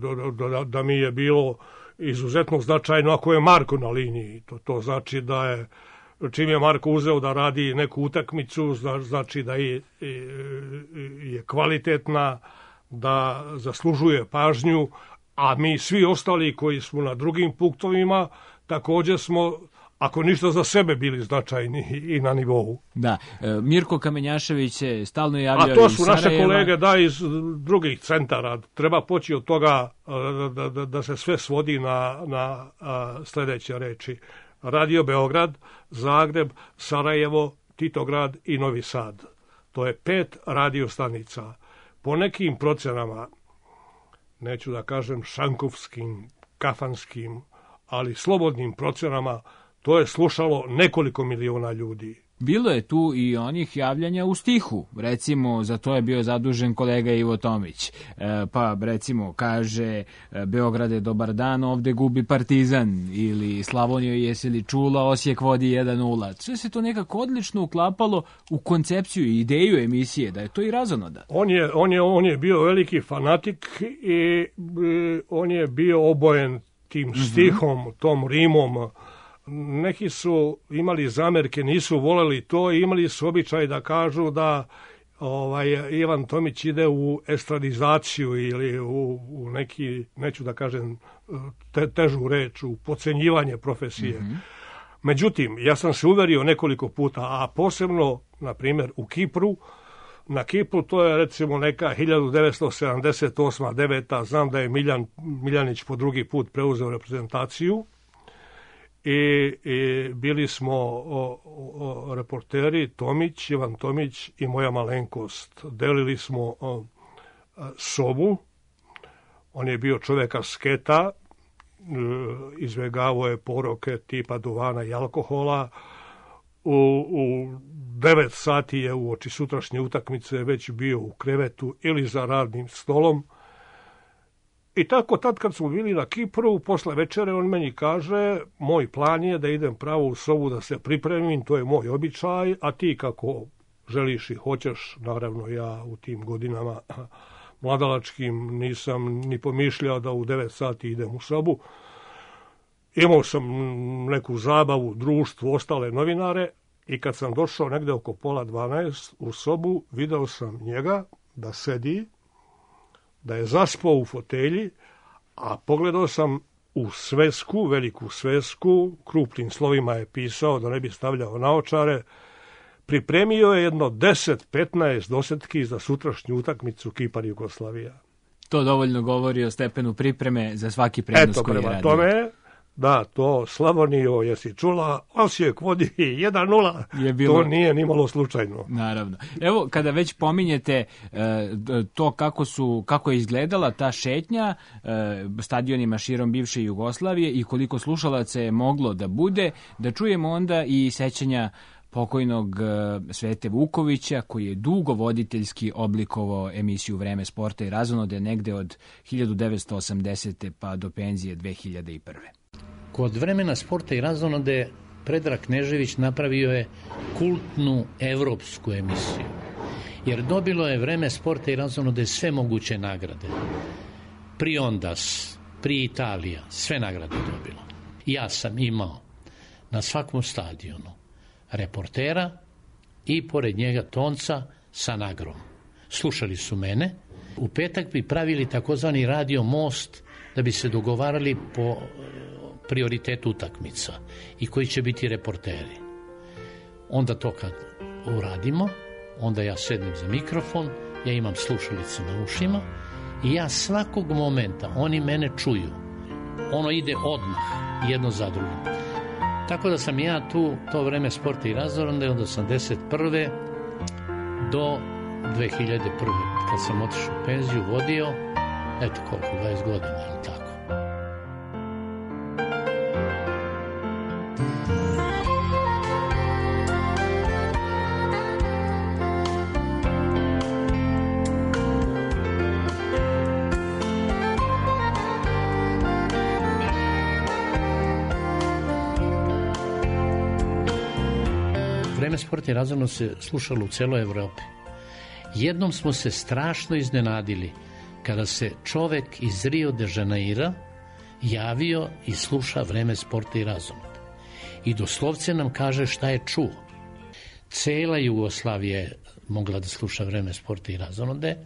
da mi je bilo izuzetno značajno ako je Marko na liniji. To znači da je, čim je Marko uzeo da radi neku utakmicu, znači da je kvalitetna, da zaslužuje pažnju, a mi svi ostali koji smo na drugim punktovima također smo, ako ništa, za sebe bili značajni i na nivou.
Da, Mirko Kamenjašević se stalno javljao iz
Sarajeva. A to su
naše
kolege iz drugih centara. Treba poći od toga da se sve svodi na sljedeće reči. Radio Beograd, Zagreb, Sarajevo, Titograd i Novi Sad. To je 5 radio stanica. Po nekim procenama, neću da kažem šankovskim, kafanskim, ali slobodnim procenama, to je slušalo nekoliko miliona ljudi.
Bilo je tu i onih javljanja u stihu. Recimo, za to je bio zadužen kolega Ivo Tomić. Pa, recimo, kaže Beograde, dobar dan, ovde gubi Partizan. Ili Slavonijo, jesi li čula, Osijek vodi 1-0. Sve se to nekako odlično uklapalo u koncepciju i ideju emisije, da je to i razonoda.
On je bio veliki fanatik i on je bio obojen tim stihom, tom rimom. Neki su imali zamerke, nisu voleli to i imali su običaj da kažu da Ivan Tomić ide u estradizaciju ili u neki, neću da kažem težu reč, u podcenjivanje profesije. Međutim, ja sam se uverio nekoliko puta, a posebno, na primjer, u Kipru. Na Kipru to je recimo neka 1978. 9. Znam da je Miljanić po drugi put preuzeo reprezentaciju i bili smo reporteri Tomić, Ivan Tomić i moja malenkost. Delili smo sobu. On je bio čovjek asketa, izbjegavao je poroke tipa duvana i alkohola. U 9 sati je uoči sutrašnje utakmice već bio u krevetu ili za radnim stolom. I tako tad kad smo bili na Kipru, posle večere on meni kaže, moj plan je da idem pravo u sobu da se pripremim, to je moj običaj, a ti kako želiš i hoćeš, naravno ja u tim godinama mladalačkim nisam ni pomišljao da u 9 sati idem u sobu. Imao sam neku zabavu, društvo, ostale novinare i kad sam došao negde oko 11:30 u sobu, video sam njega da sedi, da je zaspao u fotelji, a pogledao sam u svesku, veliku svesku, krupnim slovima je pisao da ne bi stavljao naočare, pripremio je jedno 10-15 dosetki za sutrašnju utakmicu Kipar-Jugoslavija.
To dovoljno govori o stepenu pripreme za svaki prenos koji je radio.
Eto, prema tome, da, to Slavonijo, jesi čula, Osijek vodi 1:0, to nije nimalo slučajno.
Naravno. Evo, kada već pominjete to kako je izgledala ta šetnja stadionima širom bivše Jugoslavije i koliko slušalaca je moglo da bude, da čujemo onda i sećanja pokojnog Svete Vukovića, koji je dugo voditeljski oblikovao emisiju Vreme sporta i razonode negde od 1980. pa do penzije 2001.
Kod Vremena sporta i razonode Predrag Knežević napravio je kultnu evropsku emisiju, jer dobilo je Vreme sporta i razonode sve moguće nagrade. Priondas, Pri Italija, sve nagrade dobilo. Ja sam imao na svakom stadionu reportera i pored njega tonca sa nagrom. Slušali su mene. U petak bi pravili takozvani radio most da bi se dogovarali po prioritetu utakmica i koji će biti reporteri. Onda to kad uradimo, onda ja sednem za mikrofon, ja imam slušalice na ušima i ja svakog momenta, oni mene čuju. Ono ide odmah, jedno za drugim. Tako da sam ja tu, to Vreme sporta i razonode od 1981. do 2001. kad sam otišao u penziju, vodio, eto koliko, 20 godina, ili tako. Vreme sporta i razonode se slušalo u celoj Evropi. Jednom smo se strašno iznenadili kada se čovek iz Rio de Janeira javio i sluša Vreme sporta i razonode. I doslovce nam kaže šta je čuo. Cela Jugoslavija je mogla da sluša Vreme sporta i razonode.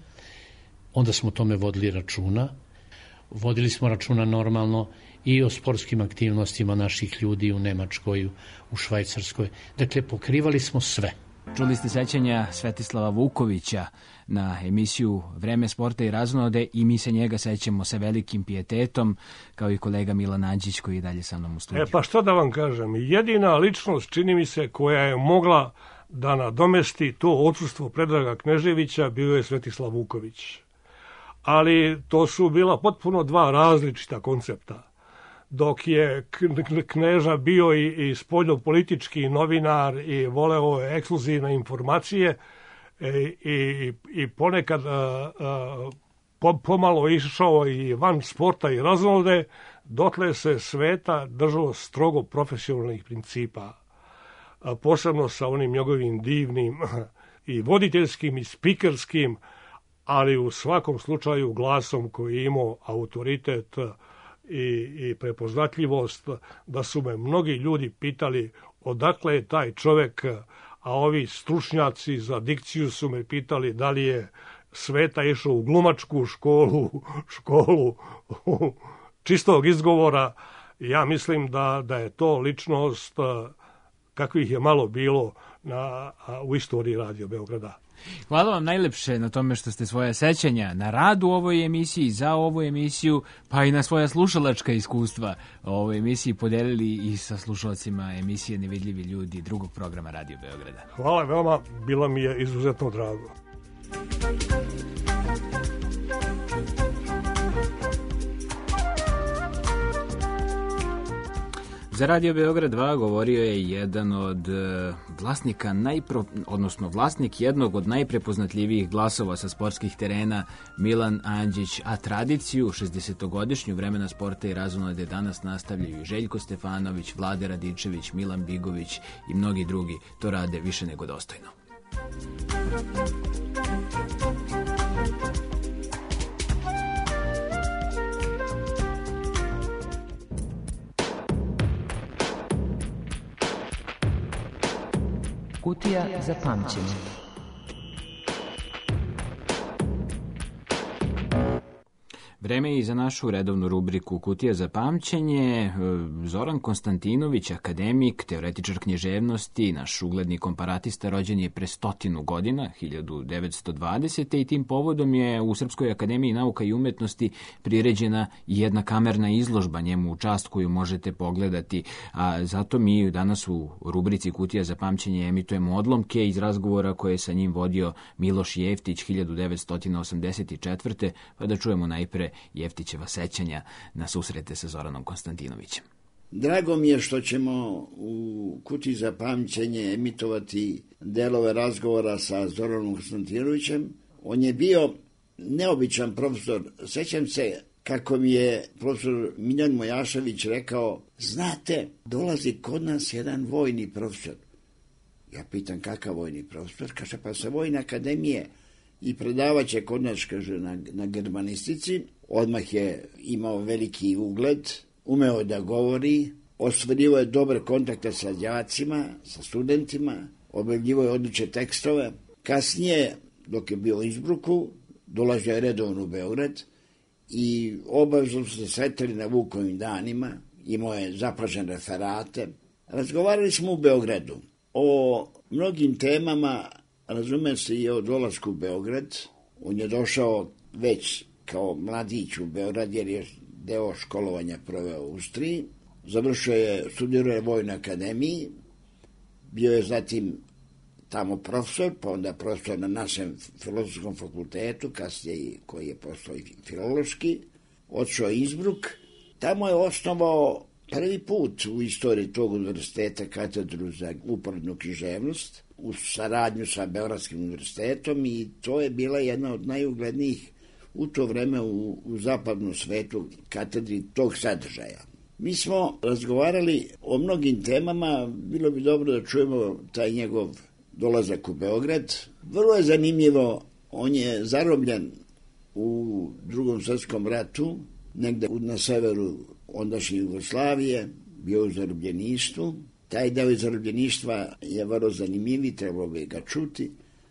Onda smo tome vodili računa. Vodili smo računa normalno i o sportskim aktivnostima naših ljudi u Nemačkoj, u Švajcarskoj. Dakle, pokrivali smo sve.
Čuli ste sećanja Svetislava Vukovića na emisiju Vreme sporta i razonode i mi se njega sećamo sa velikim pijetetom, kao i kolega Milan Anđić koji je dalje sa mnom u studiju.
Pa što da vam kažem, jedina ličnost, čini mi se, koja je mogla da nadomesti to odsustvo Predraga Kneževića bio je Svetislav Vuković. Ali to su bila potpuno dva različita koncepta. Dok je Kneža bio i spoljnopolitički novinar i voleo ekskluzivne informacije i ponekad pomalo išao i van sporta i razonode, dotle se Sveta držao strogo profesionalnih principa. Posebno sa onim njegovim divnim i voditeljskim i spikerskim, ali u svakom slučaju glasom koji je imao autoritet i prepoznatljivost, da su me mnogi ljudi pitali odakle je taj čovek, a ovi stručnjaci za dikciju su me pitali da li je Sveta išao u glumačku školu čistog izgovora Ja mislim da je to ličnost kakvih je malo bilo u istoriji Radio Beograda.
Hvala vam najlepše na tome što ste svoje sećanja na rad u ovoj emisiji, za ovu emisiju, pa i na svoja slušalačka iskustva o ovoj emisiji podelili i sa slušalcima emisije Nevidljivi ljudi drugog programa Radio Beograda.
Hvala veoma, bilo mi je izuzetno drago.
Za Radio Beograd 2 govorio je jedan od vlasnika, vlasnik jednog od najprepoznatljivijih glasova sa sportskih terena, Milan Andžić, a tradiciju 60-godišnju vremena sporta i razonode danas nastavljaju Željko Stefanović, Vlade Radičević, Milan Bigović i mnogi drugi. To rade više nego dostojno.
Kutija za pamćenje.
Vreme je i za našu redovnu rubriku Kutija za pamćenje. Zoran Konstantinović, akademik, teoretičar književnosti, naš ugledni komparatista, rođen je pre 100 godina, 1920. i tim povodom je u Srpskoj akademiji nauka i umetnosti priređena jedna kamerna izložba njemu u čast koju možete pogledati. A zato mi danas u rubrici Kutija za pamćenje emitujemo odlomke iz razgovora koje je sa njim vodio Miloš Jeftić 1984. Pa da čujemo najpre Jeftićeva sećanja na susrete sa Zoranom Konstantinovićem.
Drago mi je što ćemo u Kutiji za pamćenje emitovati delove razgovora sa Zoranom Konstantinovićem. On je bio neobičan profesor. Sećam se kako mi je profesor Miljan Mojašević rekao, znate, dolazi kod nas jedan vojni profesor. Ja pitam kakav vojni profesor? Kaže, pa sa Vojne akademije i predavaće kod nas, kaže, na germanistici. Odmah je imao veliki ugled, umeo da govori, ostvarivao je dobre kontakte sa đacima, sa studentima, objavljivao je odlične tekstove. Kasnije, dok je bio u Innsbrucku, dolazio je redovno u Beograd i obavezno su se sretali na Vukovim danima, imao je zapažene referate. Razgovarali smo u Beogradu o mnogim temama, razume se i o dolasku u Beograd. On je došao već kao mladić u Beograd jer je deo školovanja proveo u Austriji. Završio je, studirao je u Vojnoj akademiji, bio je zatim tamo profesor, pa onda profesor na našem filozofskom fakultetu, kasnije koji je postao i filološki. Otišao je Innsbruck, tamo je osnovao prvi put u istoriji tog univerziteta katedru za uporednu književnost u saradnju sa Beogradskim univerzitetom i to je bila jedna od najuglednijih u to vreme u zapadnom svetu katedri tog sadržaja. Mi smo razgovarali o mnogim temama, bilo bi dobro da čujemo taj njegov dolazak u Beograd. Vrlo je zanimljivo, on je zarobljen u Drugom svjetskom ratu, negde na severu ondašnje Jugoslavije, bio u zarobljeništvu. Taj deo zarobljeništva je vrlo zanimljiv, trebalo bi ga čuti.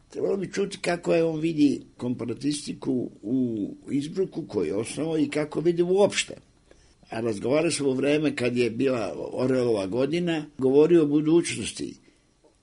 Trebalo bi čuti kako je on vidi komparatistiku u Innsbrucku koju je osnovao i kako vidi uopšte. A razgovarali smo u vreme kad je bila Orelova godina, govorio o budućnosti.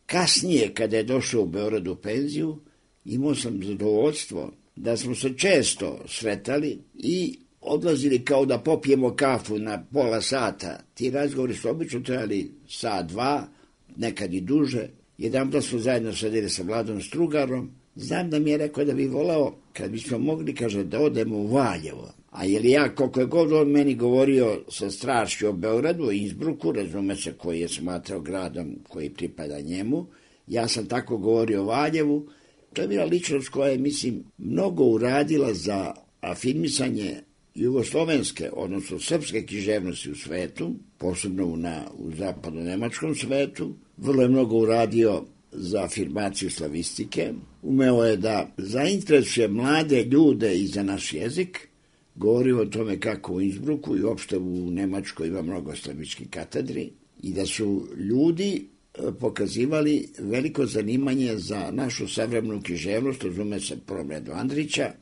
Kasnije, kada je došao u Beograd u penziju, imao sam zadovoljstvo da smo se često sretali i odlazili kao da popijemo kafu na pola sata. Ti razgovori su obično trajali sat, dva, nekad i duže. Jedanput smo zajedno sedeli sa Vladom Strugarom. Znam da mi je rekao da bi volao, kad bismo mogli, kaže, da odemo u Valjevo. A jer ja, koliko je god on meni govorio sa strašću o Beogradu, Innsbrucku, razume se, koji je smatrao gradom koji pripada njemu, ja sam tako govorio o Valjevu. To je bila ličnost koja je, mislim, mnogo uradila za afirmisanje jugoslovenske, odnosno srpske književnosti u svetu, posebno u zapadno-nemačkom svetu. Vrlo je mnogo uradio za afirmaciju slavistike. Umeo je da zainteresuje mlade ljude i za naš jezik. Govorio o tome kako u Innsbrucku i uopšte u Nemačkoj ima mnogo slavičkih katedri i da su ljudi pokazivali veliko zanimanje za našu savremenu književnost, razume se prvom redu Andrića,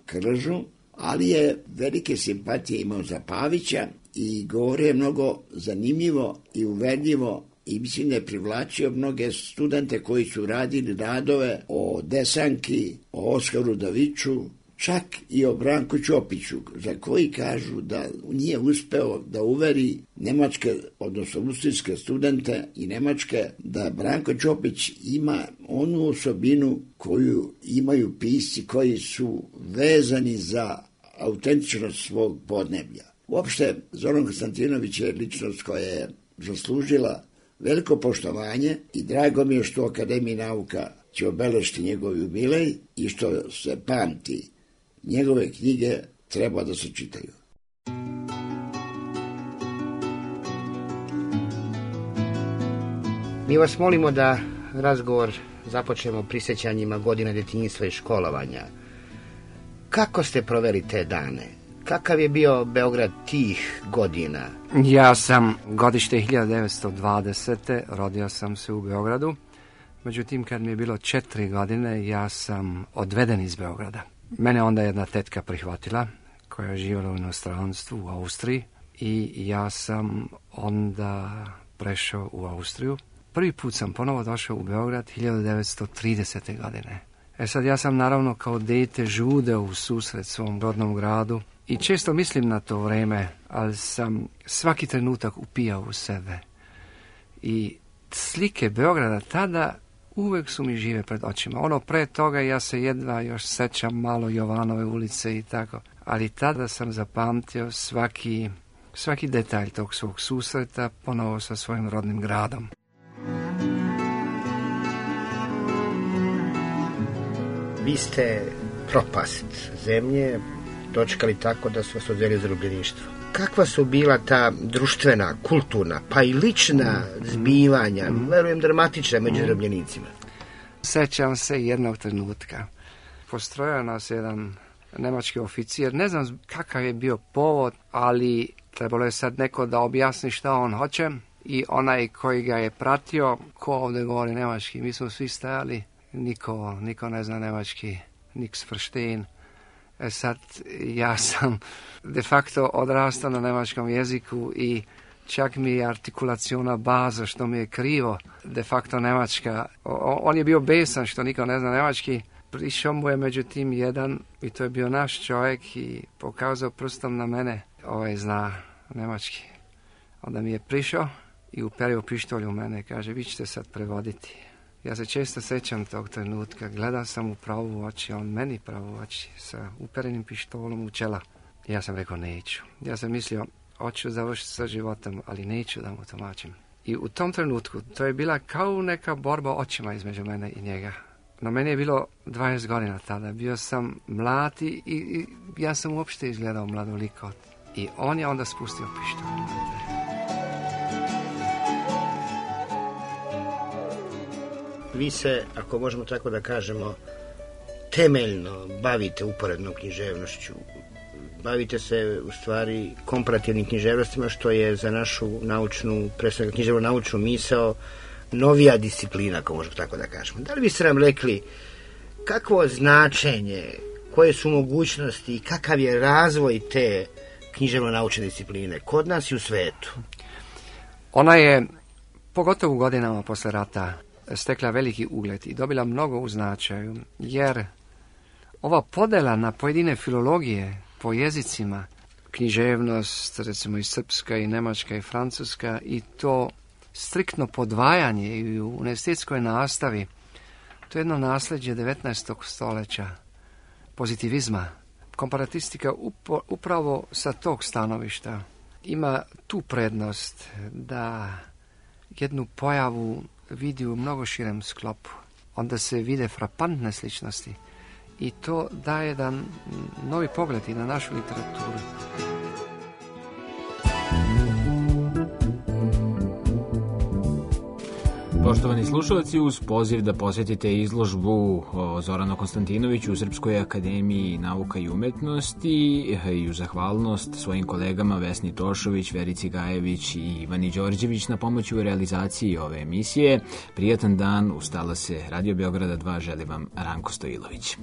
Kržu, ali je velike simpatije imao za Pavića i govorio je mnogo zanimljivo i uverljivo i mislim da je privlačio mnoge studente koji su radili radove o Desanki, o Oskaru Daviću, čak i o Branku Ćopiću, za koji kažu da nije uspeo da uveri nemačke, odnosno austrijske studente i nemačke, da Branko Ćopić ima onu osobinu koju imaju pisci koji su vezani za autentičnost svog podneblja. Uopšte, Zoran Konstantinović je ličnost koja je zaslužila veliko poštovanje i drago mi je što Akademiji nauka će obeležiti njegov jubilej i što se pamti. Njegove knjige treba da se čitaju.
Mi vas molimo da razgovor započnemo prisjećanjima godina djetinjstva i školovanja. Kako ste proveli te dane? Kakav je bio Beograd tih godina?
Ja sam godište 1920. Rodio sam se u Beogradu. Međutim, kad mi je bilo 4 godine, ja sam odveden iz Beograda. Mene onda jedna tetka prihvatila, koja je živjela u inostranstvu, u Austriji. I ja sam onda prešao u Austriju. Prvi put sam ponovo došao u Beograd 1930. godine. Sad ja sam naravno kao dete žudeo u susret svom rodnom gradu i često mislim na to vreme, ali sam svaki trenutak upijao u sebe. I slike Beograda tada uvijek su mi žive pred očima. Ono pre toga ja se jedva još sećam malo Jovanove ulice i tako. Ali tada sam zapamtio svaki detalj tog svog susreta ponovo sa svojim rodnim gradom.
Vi ste propast zemlje dočekali tako da su vas odveli zarobljeništvo. Kakva su bila ta društvena, kulturna, pa i lična zbivanja, verujem dramatična među zarobljenicima?
Sećam se jednog trenutka. Postrojao nas jedan nemački oficir. Ne znam kakav je bio povod, ali trebalo je sad neko da objasni šta on hoće. I onaj koji ga je pratio, ko ovdje govori nemački, mi smo svi stajali, niko ne zna nemački, niks verstehen. Sad ja sam de facto odrastao na nemačkom jeziku i čak mi je artikulaciona baza što mi je krivo, de facto nemačka. On je bio besan što niko ne zna nemački. Prišao mu je međutim jedan i to je bio naš čovjek i pokazao prstom na mene, zna nemački. Onda mi je prišao i uperio pištolj u mene i kaže, vi ćete sad prevoditi. Ja se često sećam tog trenutka, gledao sam u pravu oči, on meni pravu oči sa uperenim pištolom u čela. Ja sam rekao neću. Ja sam mislio, hoću završiti sa životom, ali neću da mu tumačim. I u tom trenutku, to je bila kao neka borba očima između mene i njega. No meni je bilo 20 godina tada, bio sam mlad i ja sam uopšte izgledao mladoliko. I on je onda spustio pištolj.
Vi se, ako možemo tako da kažemo, temeljno bavite uporednom književnošću. Bavite se u stvari komparativnim književnostima, što je za našu naučnu, predstavljeno književno-naučnu misao, novija disciplina, ako možemo tako da kažemo. Da li biste nam rekli kakvo značenje, koje su mogućnosti i kakav je razvoj te književno-naučne discipline kod nas i u svetu?
Ona je, pogotovo u godinama posle rata, stekla veliki ugled i dobila mnogo u značaju, jer ova podela na pojedine filologije po jezicima, književnost, recimo i srpska i nemačka i francuska, i to striktno podvajanje i u univerzitetskoj nastavi, to je jedno nasljeđe 19. stoljeća, pozitivizma. Komparatistika upravo sa tog stanovišta ima tu prednost da jednu pojavu vidi u mnogo širem sklopu. Onda se vide frapantne sličnosti i to daje jedan novi pogled i na našu literaturu.
Poštovani slušalci, uz poziv da posjetite izložbu o Zoranu Konstantinoviću u Srpskoj akademiji nauka i umetnosti i u zahvalnost svojim kolegama Vesni Tošović, Verici Gajević i Ivani Đorđević na pomoći u realizaciji ove emisije. Prijatan dan, ustala se Radio Beograda 2, želi vam Ranko Stojilović.